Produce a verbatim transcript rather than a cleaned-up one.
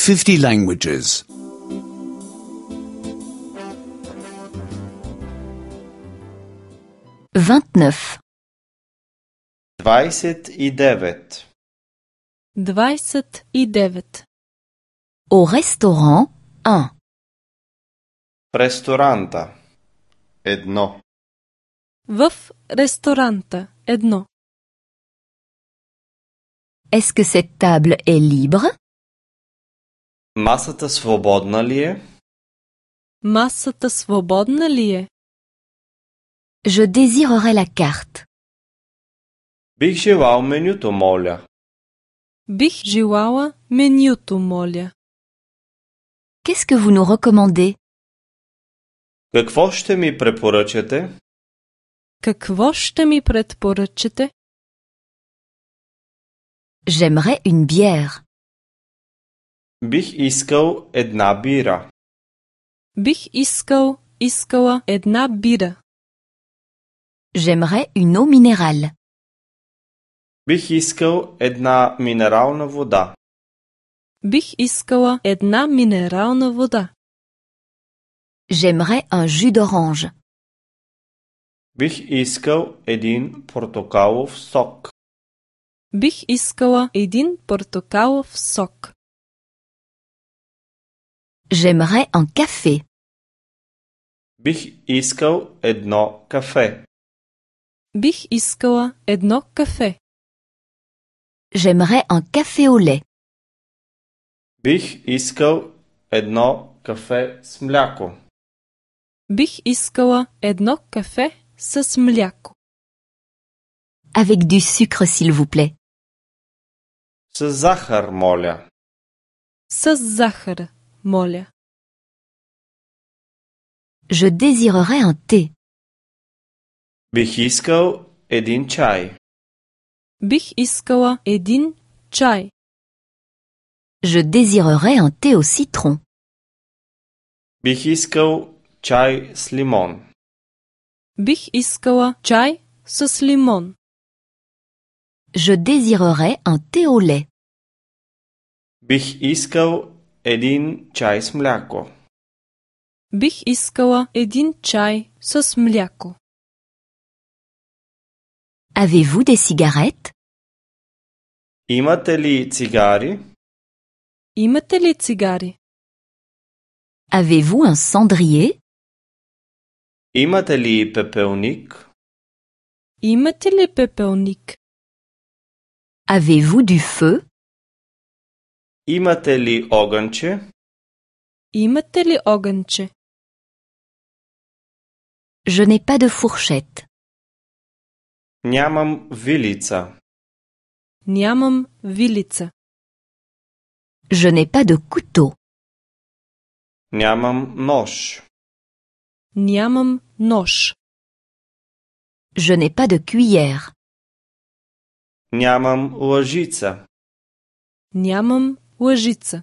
fifty languages. vingt-neuf. двадесет и девет. двадесет и девет. Au restaurant, un. В ресторанта. Едно. В ресторанта едно. Est-ce que cette table est libre? Масата свободна ли е? Масата свободна ли е? Je désirerais la carte. Бих желал менюто, моля. Бих желала менюто, моля. Qu'est-ce que vous nous recommandez? Какво ще ми препоръчате? Какво ще ми предпоръчате? J'aimerais une bière. Бих искал една бира. Бих искал, искала една бира. J'aimerais une eau minérale. Бих искал една минерална вода. Бих искала една минерална вода. J'aimerais un jus d'orange. Бих искал един портокалов сок. Бих искала един портокалов сок. J'aimerais un café. Бих искал едно кафе. Бих искала едно кафе. J'aimerais un café au lait. Бих искал едно кафе с мляко. Бих искала едно кафе с мляко. Avec du sucre, s'il vous plaît. С захар, моля. С захар, моля. Je désirerais un thé. Бих искал един чай. Бих искала един чай. Je désirerais un thé au citron. Бих искал чай с лимон. Бих искала чай с лимон. Je désirerais un thé au lait. Бих искал един чай с мляко. Бих искала един чай с мляко. Avez-vous des cigarettes? Имате ли цигари? Имате ли цигари? Avez-vous un cendrier? Имате ли пепелник? Имате ли пепелник? Avez-vous du feu? Имате ли огънче? Имате ли огънче? Je n'ai pas de fourchette. Нямам вилица. Нямам вилица. Je n'ai pas de couteau. Нямам нож. Нямам нож. Je n'ai pas de cuillère. Нямам лъжица. Нямам лъжица.